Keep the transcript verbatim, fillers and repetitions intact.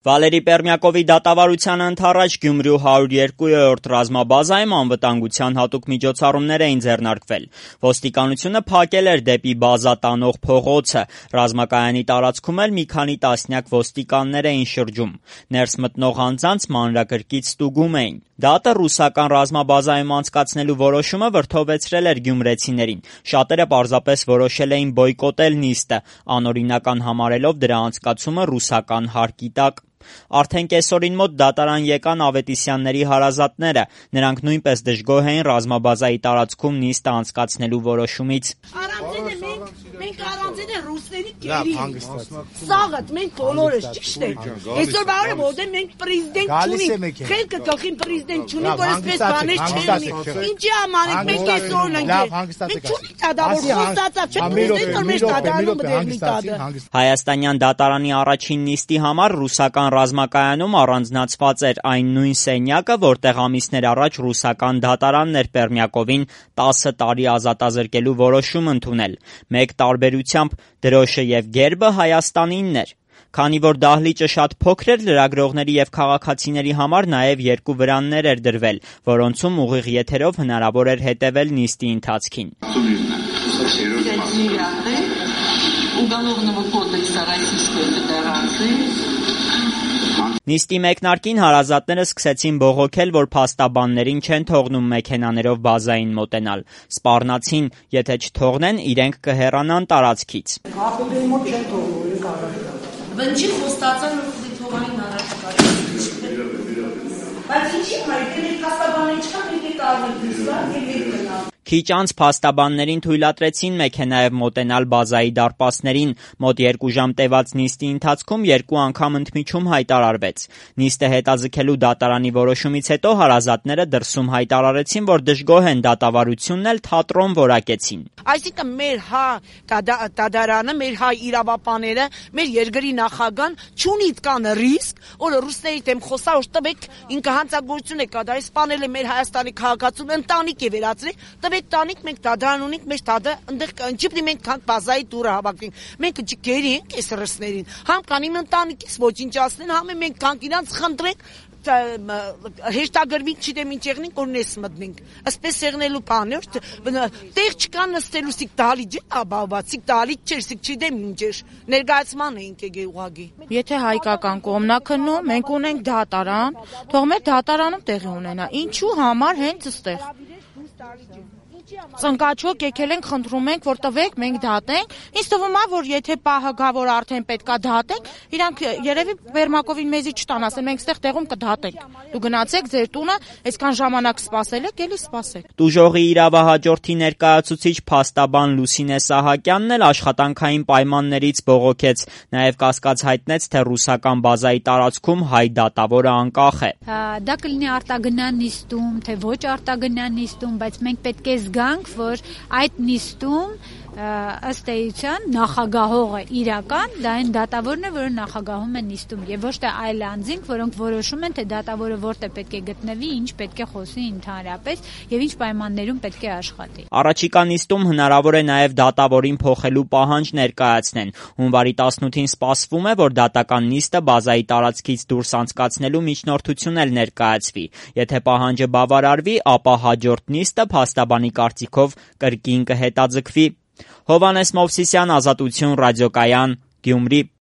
Վալերի Պերմյակովի դատավարության ընդառաջ Գյումրու հարյուր երկրորդ ռազմաբազայում անվտանգության հատուկ միջոցառումներ էին ձեռնարկվել։ Ոստիկանությունը փակել էր դեպի բազա տանող փողոցը, ռազմակայանի տարածքում էլ մի քանի տասնյակ ոստիկաններ էին շրջում։ Ներս մտնող անձանց մանրակրկիտ ստուգում էին։ Դատը ռուսական ռազմաբազայում անցկացնելու որոշումը վրդովվեցրել էր գյումրեցիներին։ Շատերը պարզապես որոշել էին բոյկոտել նիստը, անօրինական համարելով դրա անցկացումը ռուսական հարկի տակ։ Արդեն կեսօրին մոտ դատարան եկան Ավետիսյանների հարազատները։ Նրանք նույնպես դժգոհ էին ռազմաբազայի տարածքում նիստը անցկացնելու որոշումից։ Մենք առանձին է ռուսների կերի սաղըտ, մենք բոլորս, ճիշտ է։ Այսօր բարը որդե մենք պրեզիդենտ չունենք, խելքը գլխին պրեզիդենտ չունենք, որ այսպես բաներ չեն։ Ինչի ամանենք, մենք այսօր ենք, մենք չունենք տադավոր խոստացա, չէ պրեզիդենտ, որ մեր տադարանում բդեղնի տադը։ Հայաստանյան դատարանի առաջին նիստի համար ռուսական ռազմակայանում առանձնացված էր այն նույն սենյակը, որտեղ ամիսներ առաջ ռուսական դատարանն էր Պերմյակովին տասը տարի ազատազրկելու որոշում ընդունել։ Մեկ տարբերությամբ դրոշը եւ գերբը Հայաստանինն էր։ Քանի որ դահլիճը շատ փոքր էր, լրագրողների եւ քաղաքացիների համար նաեւ երկու վրաններ էր դրվել, որոնցում ուղիղ եթերով հնարավոր էր հետեւել նիստի ընթացքին։ Նիստի մեկնարկին հարազատները սկսեցին բողոքել, որ փաստաբաններին չեն թողնում մեքենաներով բազային մոտենալ։ Սպառնացին, եթե չթողնեն, իրենք կհեռանան տարածքից։ Վնջի խոստացան թողային առաջ բայց ինչի՞ հայտ է փաստաբանների չկա մենք տարվենք դիսկան եւ մենք գնալ։ Քիչ անց փաստաբաններին թույլատրեցին մեքենայով մոտենալ բազայի դարպասներին։ Մոտ երկու ժամ տևած նիստի ընթացքում երկու անգամ ընդմիջում հայտարարվեց։ Նիստը հետաձգելու դատարանի որոշումից հետո հարազատները դրսում հայտարարեցին, որ դժգոհ են դատավարությունն էլ թատրոն որակեցին։ Այսինքն մեր հա դատարանը, մեր հա իրավապանները, մեր երկրի նախագահան չունի կան ռիսկ, որ ռուսների դեմ խոսա, որ տվեք ինքը հանցագործություն է կատարել, սպանել է մեր Հայաստանի քաղաքացուն, ընտանիք է վերածրել, տվեք տանիք, մենք դատարան ունենք, մեր տադը ընդեղ ջիպնի մենք քան բազայի դուրը հավաքվենք։ Մենք ջկերի ենք այս ռուսներին։ Համ կան իմ ընտանիքից ոչնչացնեն, համ մենք կան իրանց խնդրենք հեշտագրվի չիտեմ ինչ եղնենք, որ նես մտնենք։ Ասպես եղնելու բան է, տեղ չկա նստելու սիկ դալիճ է, աբաբա, սիկ դալիճ չէր, սիկ չիտեմ ինչ էր։ Ներկայացման էինք եկել ուղղակի։ Եթե հայկական կողմն է քննում, մենք ունենք դատարան, թող մեր դատարանում տեղի ունենա։ Ինչու համար հենց այստեղ։ Ծնկաչոք եկել ենք, խնդրում ենք, որ տվեք, մենք դատենք։ Ինձ թվում է, որ եթե պահը գա, որ արդեն պետքա դատենք, իրանք երևի Պերմյակովին մեզի չտան, ասեն մենք այստեղ տեղում կդատենք։ Դու գնացեք ձեր տունը, այսքան ժամանակ սպասել եք, էլի սպասեք։ Տուժողի իրավահաջորդի ներկայացուցիչ փաստաբան Լուսինե Սահակյանն էլ աշխատանքային պայմաններից բողոքեց, նաև կասկած հայտնեց, թե ռուսական բազայի տարածքում հայ դատավորը անկախ է։ Դա կլինի արտագնան նիստում, թե ոչ արտագնան նիստում, բայց մենք պետք է զգանք, որ այդ նիստում ըստ էության նախագահողը իրական դա այն դատավորն է, որը նախագահում է նիստում եւ ոչ թե այլ անձինք, որոնք որոշում են, թե դատավորը որտեղ պետք է գտնվի, ինչ պետք է խոսի ընդհանրապես եւ ինչ պայմաններում պետք է աշխատի։ Առաջիկա նիստում հնարավոր է նաեւ դատավորին փոխելու պահանջ ներկայացնեն։ Հունվարի տասնութին սպասվում է, որ դատական նիստը բազայի տարածքից դուրս անցկացնելու միջնորդություն էլ ներկայացվի։ Եթե պահանջը բավարարվի, ապա հաջորդ նիստը փաստաբանի կարծիքով կրկին կհետաձգվի։ Հովհաննես Մովսիսյան, Ազատություն, Ռադիոկայան, Գյումրի։